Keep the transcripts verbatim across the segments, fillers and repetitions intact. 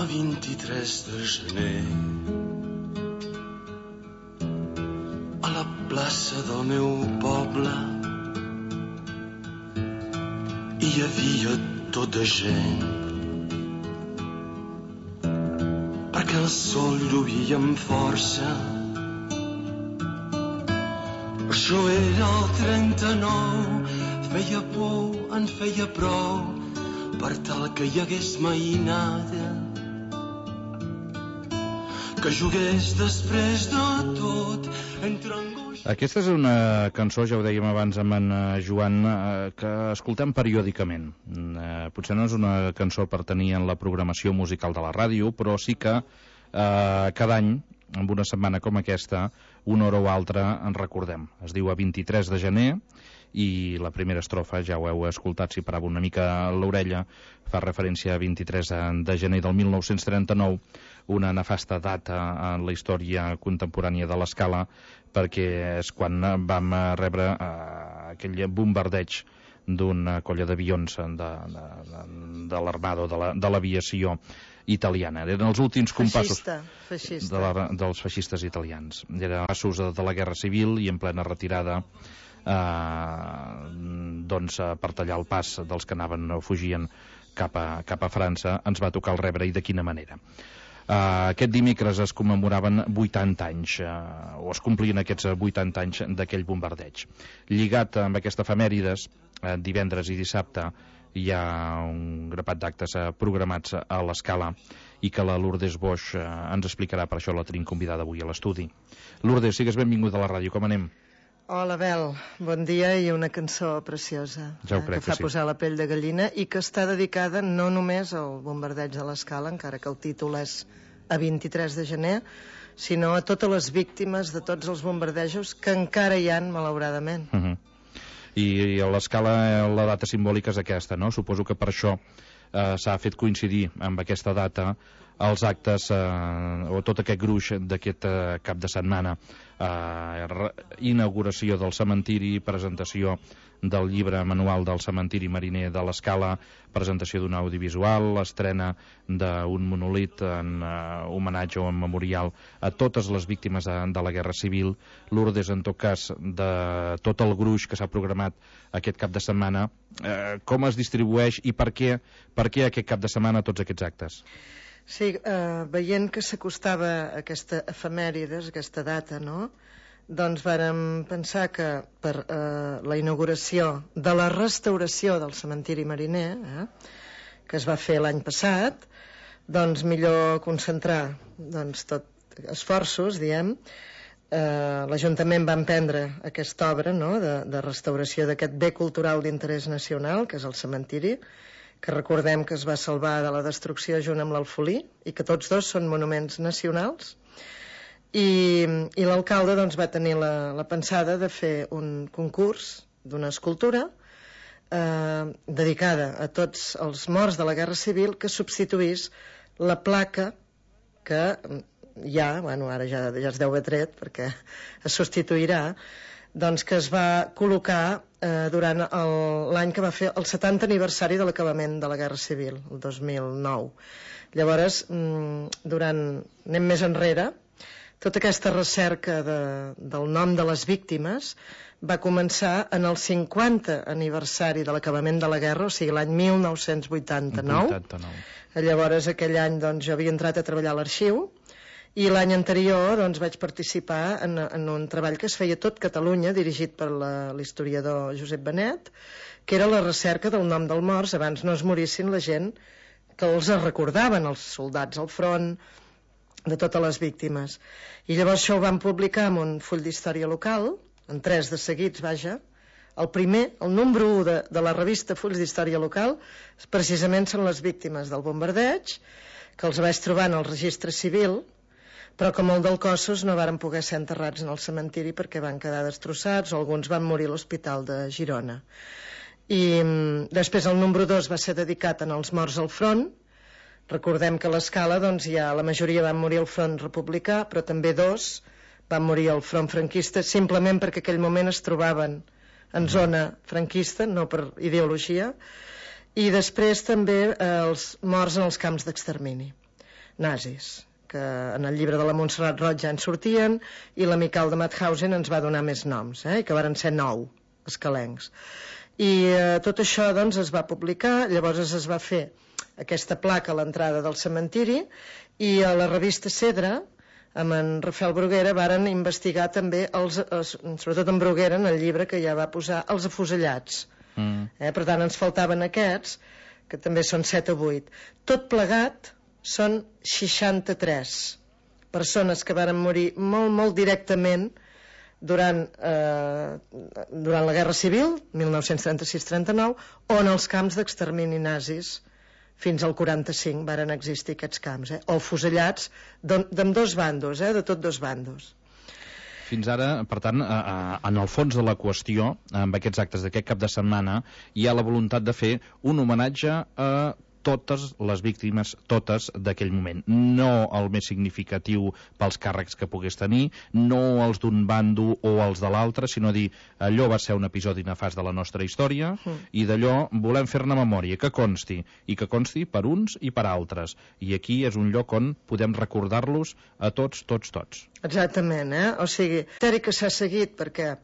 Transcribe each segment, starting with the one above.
vint-i-tres de gener, a la plaça del meu poble hi havia tot de gent, perquè el sol lluïa amb força. Això era el trenta-nou, feia por, en feia prou, per tal que hi hagués mainada, que jugués després de tot entre angoix... Aquesta és una cançó, ja ho dèiem abans amb en Joan, que escoltem periòdicament. Potser no és una cançó per tenir en la programació musical de la ràdio, però sí que eh, cada any, en una setmana com aquesta, una hora o altra en recordem. Es diu a vint-i-tres de gener i la primera estrofa, ja ho heu escoltat si parava una mica l'orella, fa referència a vint-i-tres de gener del mil nou-cents trenta-nou, una nefasta data en la història contemporània de l'Escala, perquè és quan vam rebre eh, aquell bombardeig d'una colla d'avions de, de, de, de l'Armada, de l'aviació italiana. Eren els últims compassos feixista, feixista. De la, dels feixistes italians. Eren passos de, de la Guerra Civil i en plena retirada eh, doncs, per tallar el pas dels que anaven o fugien cap a, cap a França, ens va tocar el rebre, i de quina manera. Uh, aquest dimecres es commemoraven vuitanta anys, uh, o es complien aquests vuitanta anys d'aquell bombardeig. Lligat amb aquesta efemèrides, uh, divendres i dissabte hi ha un grapat d'actes uh, programats a l'Escala, i que la Lourdes Boix uh, ens explicarà. Per això la tenim convidada avui a l'estudi. Lourdes, sigues benvinguda a la ràdio, com anem? Hola, Bel, bon dia, i una cançó preciosa, ja eh, que fa que sí. posar la pell de gallina, i que està dedicada no només al bombardeig de l'Escala, encara que el títol és a vint-i-tres de gener, sinó a totes les víctimes de tots els bombardejos que encara hi han, malauradament. Uh -huh. I, i a l'Escala la data simbòlica és aquesta, no? Suposo que per això eh, s'ha fet coincidir amb aquesta data els actes eh, o tot aquest gruix d'aquest eh, cap de setmana. Eh, inauguració del cementiri, presentació del llibre manual del cementiri mariner de l'Escala, presentació d'un audiovisual, l'estrena d'un monolit en eh, homenatge o en memorial a totes les víctimes de, de la Guerra Civil. Lourdes, en tot cas, de tot el gruix que s'ha programat aquest cap de setmana, eh, com es distribueix i per què, per què aquest cap de setmana tots aquests actes? Sí, eh, veient que s'acostava aquesta efemèrides, aquesta data, no?, doncs vàrem pensar que per eh, la inauguració de la restauració del cementiri mariner, eh, que es va fer l'any passat, doncs millor concentrar doncs, tot esforços, diem. Eh, l'Ajuntament va emprendre aquesta obra, no?, de, de restauració d'aquest bé cultural d'interès nacional, que és el cementiri, que recordem que es va salvar de la destrucció junt amb l'Alfolí, i que tots dos són monuments nacionals. I, i l'alcalde doncs, va tenir la, la pensada de fer un concurs d'una escultura eh, dedicada a tots els morts de la Guerra Civil, que substituís la placa que ja, bueno, ara ja, ja es deu haver tret perquè es substituirà, doncs que es va col·locar eh, durant l'any que va fer el setanta aniversari de l'acabament de la Guerra Civil, el dos mil nou. Llavors, mm, durant, anem més enrere, tota aquesta recerca de, del nom de les víctimes va començar en el cinquanta aniversari de l'acabament de la guerra, o sigui l'any mil nou-cents vuitanta-nou. vuitanta-nou. Llavors, aquell any doncs, jo havia entrat a treballar a l'arxiu, i l'any anterior doncs, vaig participar en, en un treball que es feia a tot Catalunya, dirigit per l'historiador Josep Benet, que era la recerca del nom dels morts abans no es morissin la gent que els recordaven, els soldats al front, de totes les víctimes. I llavors això ho van publicar en un full d'història local, en tres de seguits, vaja. El primer, el número u de, de la revista Fulls d'Història Local, precisament són les víctimes del bombardeig, que els vaig trobar en el registre civil, però que molt dels cossos no varen poder ser enterrats en el cementiri perquè van quedar destrossats, o alguns van morir a l'Hospital de Girona. I mm, després el número dos va ser dedicat als morts al front. Recordem que a l'Escala doncs, ja la majoria van morir al front republicà, però també dos van morir al front franquista, simplement perquè aquell moment es trobaven en zona franquista, no per ideologia. I després també eh, els morts en els camps d'extermini. nazis, que en el llibre de la Montserrat Roig ja en sortien, i l'Amical de Mauthausen ens va donar més noms, eh? que varen ser nou escalencs. I eh, tot això doncs es va publicar, llavors es va fer aquesta placa a l'entrada del cementiri, i a la revista Cedra, amb en Rafael Bruguera, varen investigar també, els, els, sobretot en Bruguera, en el llibre que ja va posar, els afusellats. Mm. Eh? Per tant, ens faltaven aquests, que també són set o vuit. Tot plegat són seixanta-tres persones que varen morir molt, molt directament durant, eh, durant la Guerra Civil, mil nou-cents trenta-sis trenta-nou, o en els camps d'extermini nazis. Fins al quaranta-cinc varen existir aquests camps, eh? o fusellats d'ambdós bandos, eh? de tot dos bandos. Fins ara, per tant, a, a, en el fons de la qüestió, amb aquests actes d'aquest cap de setmana, hi ha la voluntat de fer un homenatge a totes les víctimes, totes d'aquell moment. No el més significatiu pels càrrecs que pogués tenir, no els d'un bando o els de l'altre, sinó dir, allò va ser un episodi nefast de la nostra història, mm. i d'allò volem fer-ne memòria, que consti, i que consti per uns i per altres. I aquí és un lloc on podem recordar-los a tots, tots, tots. Exactament, eh? O sigui, que s'ha seguit, perquè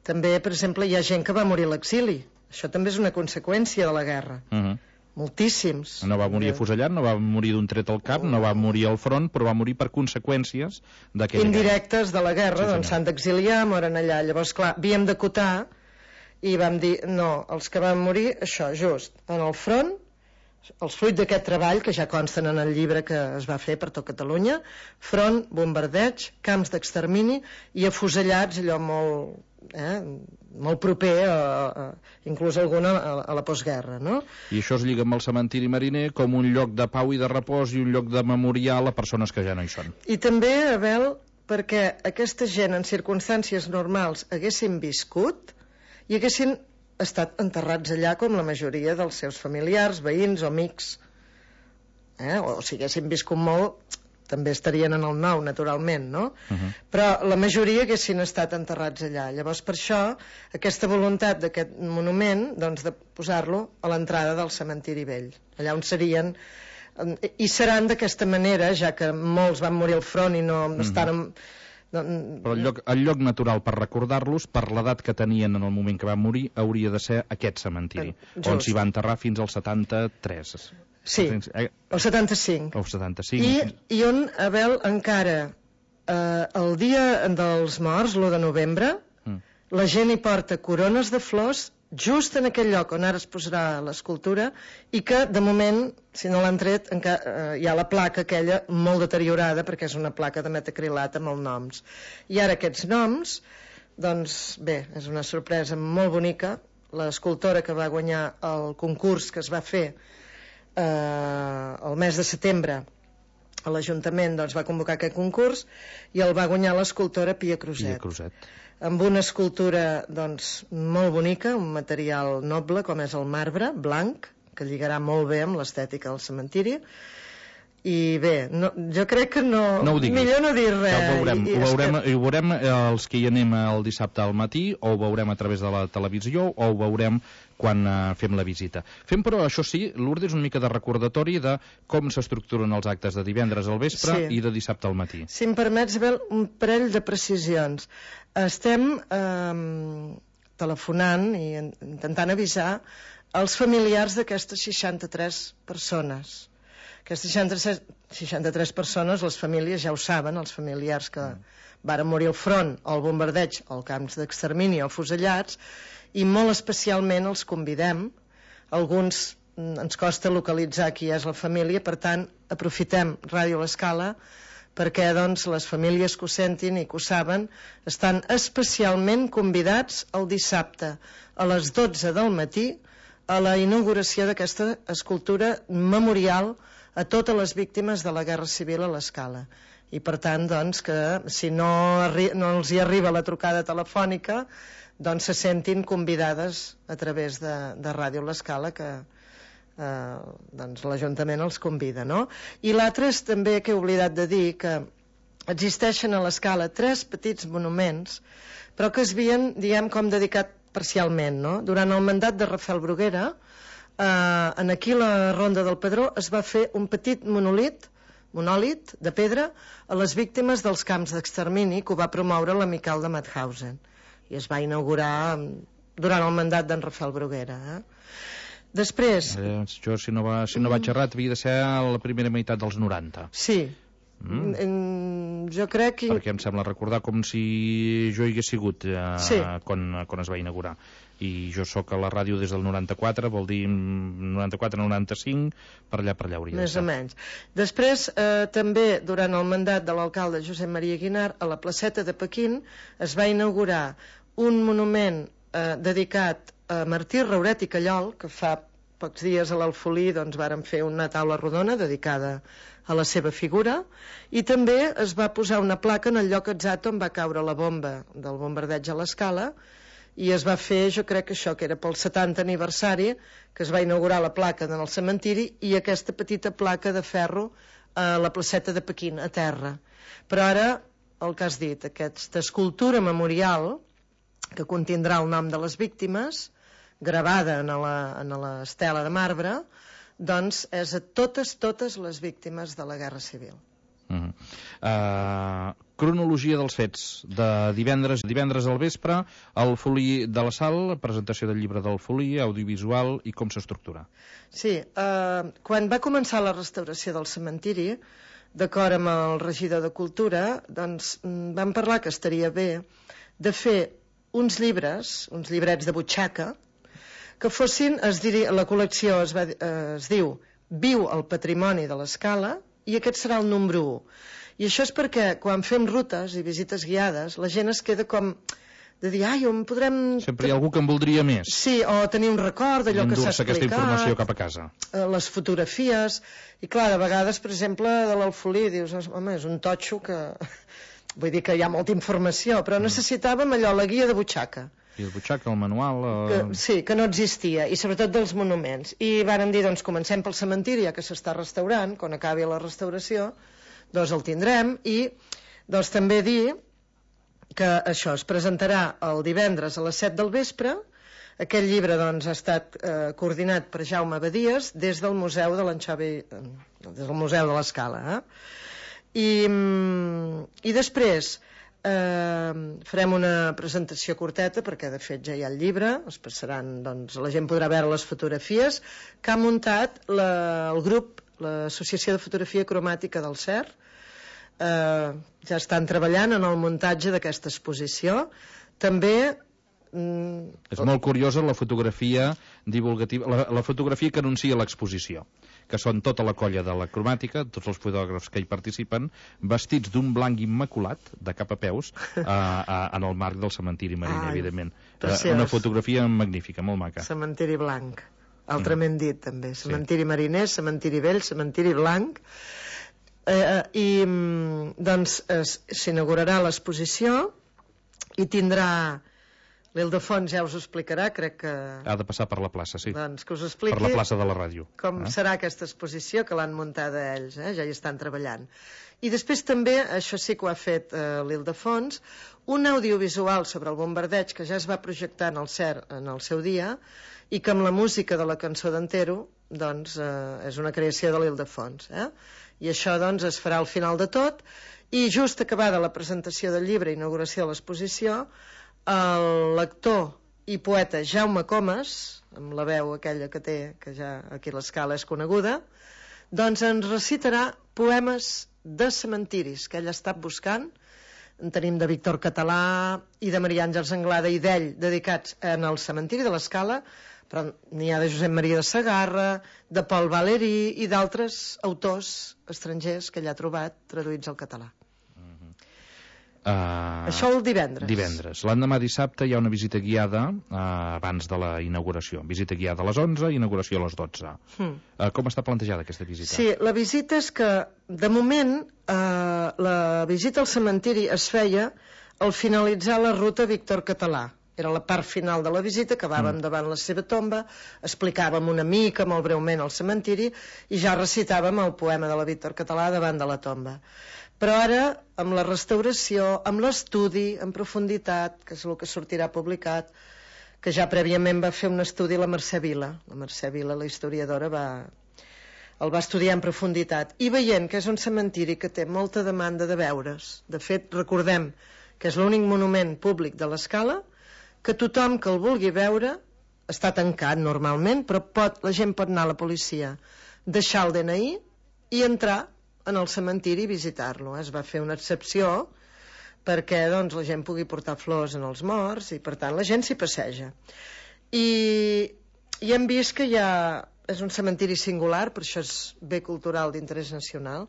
també, per exemple, hi ha gent que va morir a l'exili. Això també és una conseqüència de la guerra. Mhm. Moltíssims. No va morir afusellat, no va morir d'un tret al cap, no va morir al front, però va morir per conseqüències d'aquella indirectes de la guerra, sí, doncs s'han d'exiliar, moren allà. Llavors, clar, havíem d'acotar i vam dir, no, els que van morir, això, just, en el front, els fruits d'aquest treball, que ja consten en el llibre que es va fer per tot Catalunya, front, bombardeig, camps d'extermini i afusellats, allò molt... Eh, molt proper a, a, inclús alguna a, a la postguerra, no? I això es lliga amb el cementiri mariner com un lloc de pau i de repòs i un lloc de memorial a persones que ja no hi són. I també, Abel, perquè aquesta gent en circumstàncies normals haguessin viscut i haguessin estat enterrats allà com la majoria dels seus familiars, veïns o amics, eh? o si haguessin viscut molt també estarien en el nou, naturalment, no? Uh-huh. Però la majoria haguessin estat enterrats allà. Llavors, per això, aquesta voluntat d'aquest monument, doncs, de posar-lo a l'entrada del cementiri vell, allà on serien, i seran d'aquesta manera, ja que molts van morir al front i no uh-huh. estan... No, però el lloc, el lloc natural per recordar-los, per l'edat que tenien en el moment que van morir, hauria de ser aquest cementiri, just. On s'hi va enterrar fins al setanta-tres. Sí, el setanta-cinc. El setanta-cinc. I, i on, Abel, encara eh, el dia dels morts, l'u de novembre, mm. la gent hi porta corones de flors just en aquell lloc on ara es posarà l'escultura, i que, de moment, si no l'han tret, encara, eh, hi ha la placa aquella molt deteriorada, perquè és una placa de metacrilat amb els noms. I ara aquests noms, doncs, bé, és una sorpresa molt bonica. L'escultora que va guanyar el concurs que es va fer eh, el mes de setembre a l'Ajuntament, doncs, va convocar aquest concurs i el va guanyar l'escultora Pia Cruzet. Pia Cruzet. Amb una escultura, doncs, molt bonica, un material noble com és el marbre blanc, que lligarà molt bé amb l'estètica del cementiri. I bé, no, jo crec que no... No ho diguis. Millor no dir res. Ja ho veurem, I, ho, veurem, que... ho veurem els que hi anem el dissabte al matí, o ho veurem a través de la televisió, o ho veurem quan uh, fem la visita. Fem, però, això sí, Lourdes, una mica de recordatori de com s'estructuren els actes de divendres al vespre sí. i de dissabte al matí. Si em permets, Abel, un parell de precisions. Estem eh, telefonant i intentant avisar els familiars d'aquestes seixanta-tres persones. Aquestes seixanta-tres persones, les famílies ja ho saben, els familiars que varen morir al front, o al bombardeig, o als camps d'extermini, o fusellats, i molt especialment els convidem. Alguns ens costa localitzar qui és la família, per tant, aprofitem Ràdio L'Escala perquè, doncs, les famílies que ho sentin i que ho saben estan especialment convidats el dissabte a les dotze del matí a la inauguració d'aquesta escultura memorial a totes les víctimes de la Guerra Civil a l'Escala. I per tant, doncs, que si no, no els hi arriba la trucada telefònica, doncs se sentin convidades a través de, de Ràdio L'Escala, que eh, doncs l'Ajuntament els convida, no? I l'altre és també que he oblidat de dir que existeixen a l'Escala tres petits monuments, però que es havien, diguem, com dedicat parcialment, no? Durant el mandat de Rafael Bruguera, Eh, en aquí la Ronda del Pedró es va fer un petit monolit monòlit de pedra, a les víctimes dels camps d'extermini que ho va promoure l'amical de Mauthausen. I es va inaugurar durant el mandat d'en Rafael Bruguera. Eh? Després... Eh, jo, si no, va, si no vaig errat, havia de ser a la primera meitat dels noranta. Sí. Mm. Mm, jo crec que... Perquè em sembla recordar com si jo hi hagués sigut eh, sí. quan, quan es va inaugurar. I jo sóc a la ràdio des del noranta-quatre, vol dir noranta-quatre noranta-cinc, per allà per allà hauria més de ser. o menys. Després, eh, també, durant el mandat de l'alcalde Josep Maria Guinart, a la placeta de Pequín es va inaugurar un monument eh, dedicat a Martí Rauret i Callol, que fa pocs dies a l'Alfolí doncs, varen fer una taula rodona dedicada a la seva figura, i també es va posar una placa en el lloc exacte on va caure la bomba del bombardeig a l'Escala, i es va fer, jo crec que això, que era pel setanta aniversari, que es va inaugurar la placa en el cementiri, i aquesta petita placa de ferro a la placeta de Pequín, a terra. Però ara, el que has dit, aquesta escultura memorial, que contindrà el nom de les víctimes, gravada en la, en l'estela de marbre, doncs és a totes, totes les víctimes de la Guerra Civil. Uh -huh. uh, cronologia dels fets de divendres divendres al vespre, el Folí de la Sal, presentació del llibre del Folí, audiovisual i com s'estructura. Sí, uh, quan va començar la restauració del cementiri, d'acord amb el regidor de Cultura, doncs vam parlar que estaria bé de fer uns llibres, uns llibrets de butxaca, que fossin, es diria, la col·lecció es, va, eh, es diu Viu el patrimoni de l'Escala, i aquest serà el número u. I això és perquè quan fem rutes i visites guiades, la gent es queda com de dir, ai, on podrem... Sempre hi ha algú que en voldria més. Sí, o tenir un record d'allò que s'ha explicat. aquesta informació cap a casa. Les fotografies, i clar, de vegades, per exemple, de l'Alfolí, dius, home, és un totxo que... Vull dir que hi ha molta informació, però necessitàvem allò, la guia de butxaca. I el butxaca, el manual... Eh... Que, sí, que no existia, i sobretot dels monuments. I vàrem dir, doncs, comencem pel cementiri, ja que s'està restaurant, quan acabi la restauració, doncs el tindrem, i doncs també dir que això es presentarà el divendres a les set del vespre. Aquest llibre, doncs, ha estat eh, coordinat per Jaume Badies des del Museu de l'Anxovi, eh, des del Museu de l'Escala, eh? I, i després... Uh, farem una presentació curteta perquè de fet ja hi ha el llibre, es passaran, doncs, la gent podrà veure les fotografies que ha muntat la, el grup, l'Associació de Fotografia Cromàtica del C E R. Uh, ja estan treballant en el muntatge d'aquesta exposició. També mm, és molt curiosa la fotografia divulgativa, la, la fotografia que anuncia l'exposició, que són tota la colla de la cromàtica, tots els fotògrafs que hi participen, vestits d'un blanc immaculat, de cap a peus, a, a, en el marc del cementiri mariner, Ai, evidentment. Preciós. Una fotografia magnífica, molt maca. Cementiri blanc, altrament mm. dit, també. Cementiri sí. mariner, cementiri vell, cementiri blanc. Eh, I, doncs, s'inaugurarà l'exposició i tindrà... L'Ildefons ja us ho explicarà, crec que... Ha de passar per la plaça, sí. Doncs que us expliqui... Per la plaça de la ràdio. Com eh? serà aquesta exposició, que l'han muntada ells, eh? Ja hi estan treballant. I després també, això sí que ho ha fet eh, l'Ildefons, un audiovisual sobre el bombardeig que ja es va projectar en el C E R en el seu dia i que amb la música de la cançó d'Antero, doncs, eh, és una creació de l'Ildefons, eh? I això, doncs, es farà al final de tot, i just acabada la presentació del llibre, inauguració de l'exposició, el lector i poeta Jaume Comas, amb la veu aquella que té, que ja aquí a l'Escala és coneguda, doncs ens recitarà poemes de cementiris que ell ha estat buscant. En tenim de Víctor Català i de Maria Àngels Anglada i d'ell dedicats en el cementiri de l'Escala, però n'hi ha de Josep Maria de Segarra, de Paul Valéry i d'altres autors estrangers que ell ha trobat traduïts al català. Uh, Això el divendres. Divendres. L'endemà dissabte hi ha una visita guiada uh, abans de la inauguració. Visita guiada a les onze, inauguració a les dotze. Hmm. Uh, com està plantejada aquesta visita? Sí, la visita és que, de moment, uh, la visita al cementiri es feia al finalitzar la ruta Víctor Català. Era la part final de la visita, acabàvem mm. davant la seva tomba, explicàvem una mica, molt breument, el cementiri, i ja recitàvem el poema de la Víctor Català davant de la tomba. Però ara, amb la restauració, amb l'estudi en profunditat, que és el que sortirà publicat, que ja prèviament va fer un estudi la Mercè Vila. La Mercè Vila, la historiadora, va, el va estudiar en profunditat, i veient que és un cementiri que té molta demanda de veure's. De fet, recordem que és l'únic monument públic de l'Escala, que tothom que el vulgui veure està tancat normalment, però pot, la gent pot anar a la policia, deixar el D N I i entrar en el cementiri i visitar-lo. Es va fer una excepció perquè doncs, la gent pugui portar flors en els morts i per tant la gent s'hi passeja. I, i hem vist que hi ha, és un cementiri singular, per això és bé cultural d'interès nacional.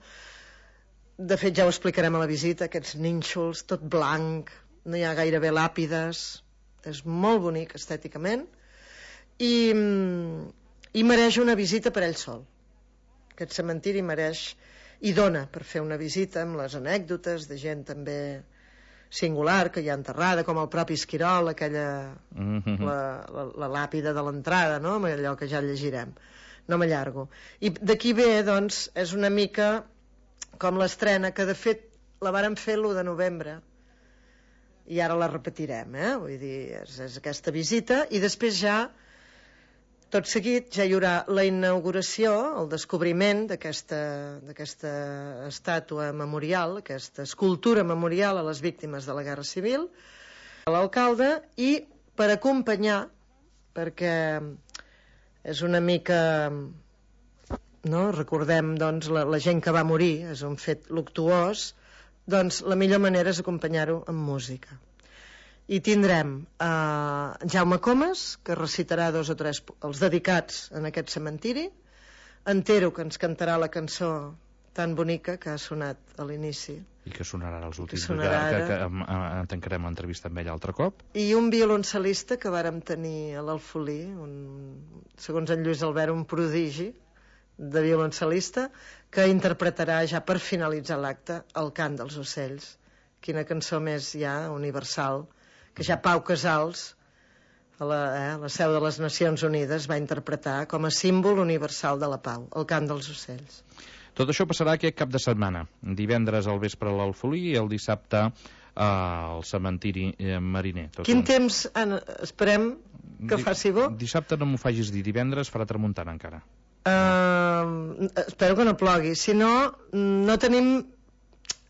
De fet ja ho explicarem a la visita, aquests nínxols, tot blanc, no hi ha gairebé làpides, és molt bonic estèticament i, i mereix una visita per ell sol. Aquest cementiri mereix i dona per fer una visita amb les anècdotes de gent també singular que hi ha enterrada, com el propi Esquirol, aquella mm-hmm. la, la, la làpida de l'entrada, no? Allò que ja llegirem, no m'allargo. I d'aquí ve, doncs, és una mica com l'estrena, que de fet la vàrem fer l'u de novembre i ara la repetirem, eh? Vull dir, és, és aquesta visita i després ja tot seguit ja hi haurà la inauguració, el descobriment d'aquesta d'aquesta estàtua memorial, aquesta escultura memorial a les víctimes de la Guerra Civil, a l'alcalde, i per acompanyar, perquè és una mica, no? Recordem doncs, la, la gent que va morir, és un fet luctuós, doncs la millor manera és acompanyar-ho amb música. I tindrem eh, Jaume Comas, que recitarà dos o tres els dedicats en aquest cementiri, Antero, que ens cantarà la cançó tan bonica que ha sonat a l'inici i que sonarà als últims, que, sonarà que, que, que en tancarem l'entrevista amb ell altre cop, i un violoncel·lista que vàrem tenir a l'Alfolí, un, segons en Lluís Albert, un prodigi de violoncel·lista, que interpretarà ja per finalitzar l'acte El cant dels ocells. Quina cançó més ja universal, que ja Pau Casals, a la, eh, a la seu de les Nacions Unides, va interpretar com a símbol universal de la pau, el cant dels ocells. Tot això passarà aquest cap de setmana, divendres al vespre a l'Alfolí i el dissabte al cementiri mariner. Tot Quin un... temps, Anna, esperem que Di... faci bo? Dissabte no m'ho facis dir, divendres farà tramuntana encara. Uh, espero que no plogui, si no, no tenim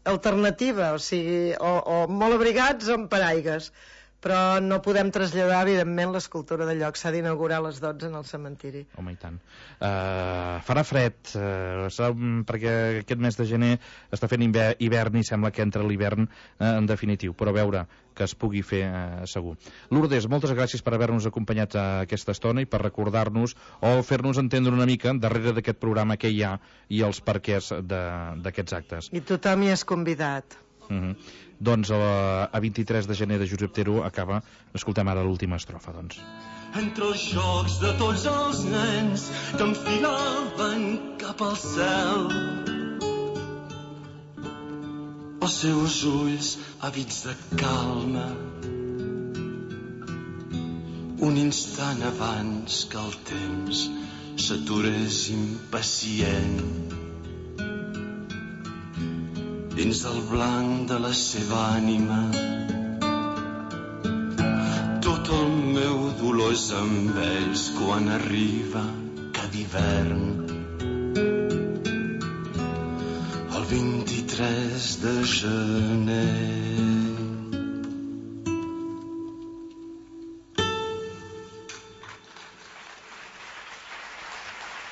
alternativa, o sigui, o, o molt abrigats o amb paraigues, però no podem traslladar, evidentment, l'escultura de lloc. S'ha d'inaugurar a les dotze en el cementiri. Home, i tant. Uh, farà fred, uh, perquè aquest mes de gener està fent hivern i sembla que entra l'hivern uh, en definitiu, però a veure que es pugui fer uh, segur. Lourdes, moltes gràcies per haver-nos acompanyat a aquesta estona i per recordar-nos o fer-nos entendre una mica darrere d'aquest programa què hi ha i els perquès d'aquests actes. I tothom hi és convidat. Uh-huh. Doncs a, a vint-i-tres de gener de Josep Tero acaba, escoltem ara l'última estrofa, doncs. Entre els jocs de tots els nens que enfilaven cap al cel, els seus ulls àvids de calma, un instant abans que el temps s'aturés impacient dins del blanc de la seva ànima. Tot el meu dolor és amb ells quan arriba cada hivern. El vint-i-tres de gener.